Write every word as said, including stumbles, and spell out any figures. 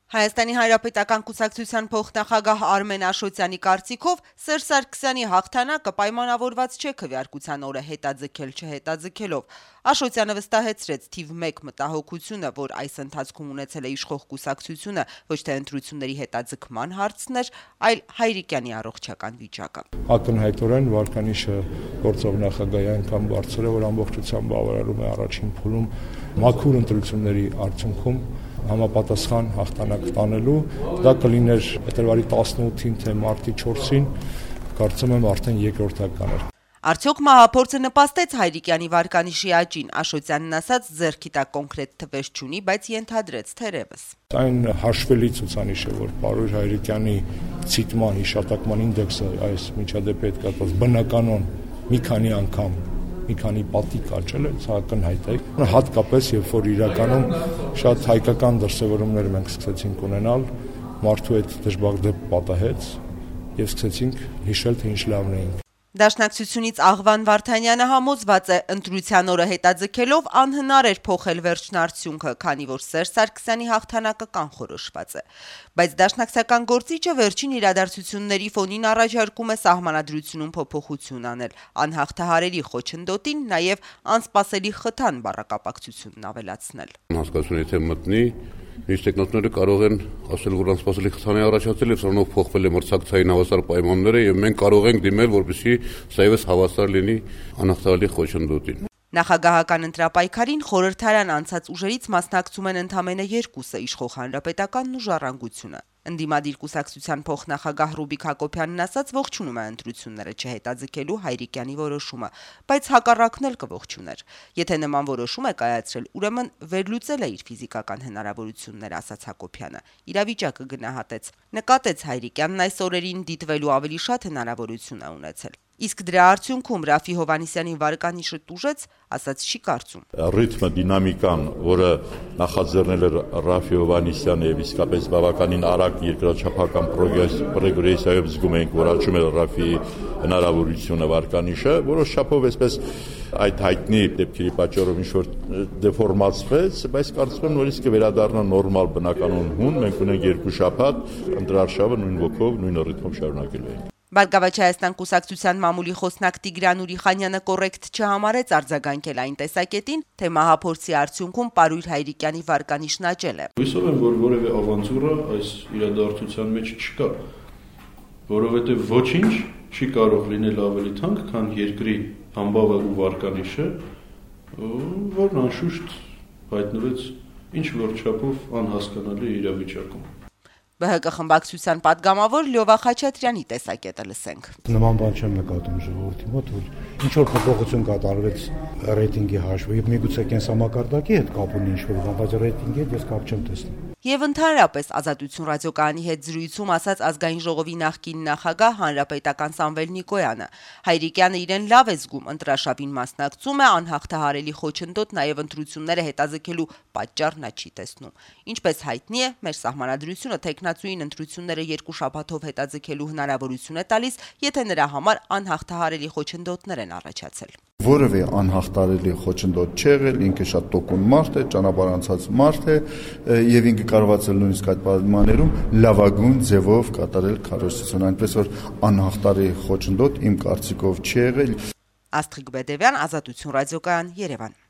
Հայաստանի Հանրապետական կուսակցության փոխնախագահ Արմեն Աշոտյանի կարծիքով Սերժ Սարգսյանի հաղթանակը պայմանավորված չէ քվեարկության օրը հետաձգել չհետաձգելով։ Աշոտյանը վստահեցրեց թիվ մեկ մտահոգությունը, որ այս ընթացքում ունեցել է իշխող կուսակցությունը ոչ թե ընտրությունների հետաձգման հարցն էր, այլ Հայրիկյանի առողջական վիճակը։ Ակնհայտորեն վարկանիշը գործող նախագահի այնքան բարձր է, որ ամբողջությամբ բավարարում է առաջին փուլում մաքուր ընտրությունների արդյունքում համապատասխան հաղթանակ տանելու, դա կլիներ փետրվարի տասնութին թե մարտի չորսին, կարծում եմ արդեն երկրորդական էր։ Արդյոք մահափորձը նպաստեց Հայրիկյանի վարկանիշի աճին, Աշոտյանն ասաց ձեռքի տակ կոնկրետ թվեր չունի, բայց ենթադրեց թերևս։ Այն հաշվելի ցուցանիշ է, որ պարոն Հայրիկյանի ցիտման հիշատակման ինդեքսը այս միջադեպի հետ կապված բնականon մի քանի անգամ մի քանի պատիկ աճել է, սա ակնհայտ է, հատկապես երբ որ իրականում շատ հայկական դրսևորումներ մենք սկսեցինք ունենալ, մարդու հետ դժբախտ պատահեց եւ սկսեցինք հիշել, թե ինչ լավն էինք։ Դաշնակցությունից Աղվան Վարդանյանը համոզված է, ընտրության օրը հետաձգելով անհնար էր փոխել վերջնարդյունքը, քանի որ Սերժ Սարգսյանի հաղթանակը կանխորոշված է։ Բայց դաշնակցական գործիչը վերջին իրադարձությունների ֆոնին առաջարկում է սահմանադրությունում փոփոխություն անել, անհաղթահարելի խոչընդոտին նաև անսպասելի խթան բառակապակցությունն ավելացնել։ Հասկացություն եթե մտնի Իսկ տեխնոլոգիաները կարող են ասել, որ անսպասելի խթան է առաջացել եւ սրանով փոխվել է մրցակցային հավասար պայմանները եւ մենք կարող ենք դիմել, որպեսզի սա եւս հավասար լինի անհաղթահարելի խոչընդոտին։ Նախագահական ընտրապայքարին խորհրդարան անցած ուժերից մասնակցում են ընդամենը երկուսը՝ իշխող Հանրապետականն ու Ժառանգությունը։ Ընդդիմադիր կուսակցության փոխնախագահ Ռուբիկ Հակոբյանն ասաց ողջունում է ընտրությունները չհետաձգելու Հայրիկյանի որոշումը, բայց հակառակն էլ կողջուներ։ Եթե նման որոշում է կայացրել, ուրեմն վերլուծել է իր ֆիզիկական հնարավորությունները, ասաց Հակոբյանը։ Իրավիճակը գնահատեց։ Նկատեց Հայրիկյանն այս օրերին դիտվելու ավելի շատ հնարավորություն է ունեցել։ Իսկ դրա արդյունքում Ռաֆի Հովհաննիսյանի վարկանիշը տուժեց, ասաց չի կարծում։ Ռիթմը, դինամիկան, որը նախաձեռնել էր Ռաֆի Հովհաննիսյանը եւ իսկապես բավականին արագ երկրաչափական պրոգրեսիայով զգում ենք, որ աճում է Ռաֆիի հնարավորությունը վարկանիշը, որոշ չափով այսպես այդ հայտնի դեպքերի պատճառով ինչ որ դեֆորմացվեց, բայց կարծում եմ նորից կվերադառնա նորմալ բնականon հուն, մենք ունենք երկու շաբաթ, ընտրարշավը նույն ոգով, նույն ռիթմով շարունակելու ենք։ Բարգավաճ Հայաստան կուսակցության մամուլի խոսնակ Տիգրան Ուրիխանյանը կոռեկտ չհամարեց արձագանքել այն տեսակետին, թե մահափորձի արդյունքում Պարույր Հայրիկյանի վարկանիշն աճել է։ Հույսով եմ, որ որևէ ավանտյուրա այս իրադարձության մեջ չկա, որովհետև ոչինչ չի կարող լինել ավելի թանկ, քան երկրի համբավը ու վարկանիշը, որն անշուշտ հայտնվեց ինչ որ չափով անհասկանալի իրավիճակում։ Բ Հ Կ խմբակցության падգամավոր Լյովա Խաչատրյանի տեսակետը լսենք։ Նման բան չեմ նկատում ժողովրդի մոտ, որ ինչ որ փոփոխություն կատարվեց ռեյտինգի հաշվով, եւ միգուցե կենսամակարդակի հետ կապ ունի ինչ որ բան, բայց ռեյտինգի հետ ես կապ չեմ տեսնում։ Եվ ընդհանրապես Ազատություն ռադիոկայանի հետ զրույցում ասաց ազգային ժողովի նախկին նախագահ հանրապետական Սամվել Նիկոյանը։ Հայրիկյանը իրեն լավ է զգում, ընտրաշավին մասնակցում է, անհաղթահարելի խոչընդոտ նաև ընտրությունները հետաձգելու պատճառ նա չի տեսնում։ Ինչպես հայտնի է, մեր սահմանադրությունը թեկնածուին ընտրությունները երկու շաբաթով հետաձգելու հնարավորություն է տալիս, եթե նրա համար անհաղթահարելի խոչընդոտներ են առաջացել։ Որևէ անհաղթահարելի խոչընդոտ չի եղել, ինքը շատ տոկուն մարդ է, ճանապարհ անցած մարդ է եւ ինքը կարողացել նույնիսկ այդ պայմաններում լավագույն ձևով կատարել քարոզությունը, այնպես որ անհաղթահարելի խոչընդոտ իմ կարծիքով չի եղել։ Աստղիկ Բեդևյան, Ազատություն ռադիոկայան, Երևան։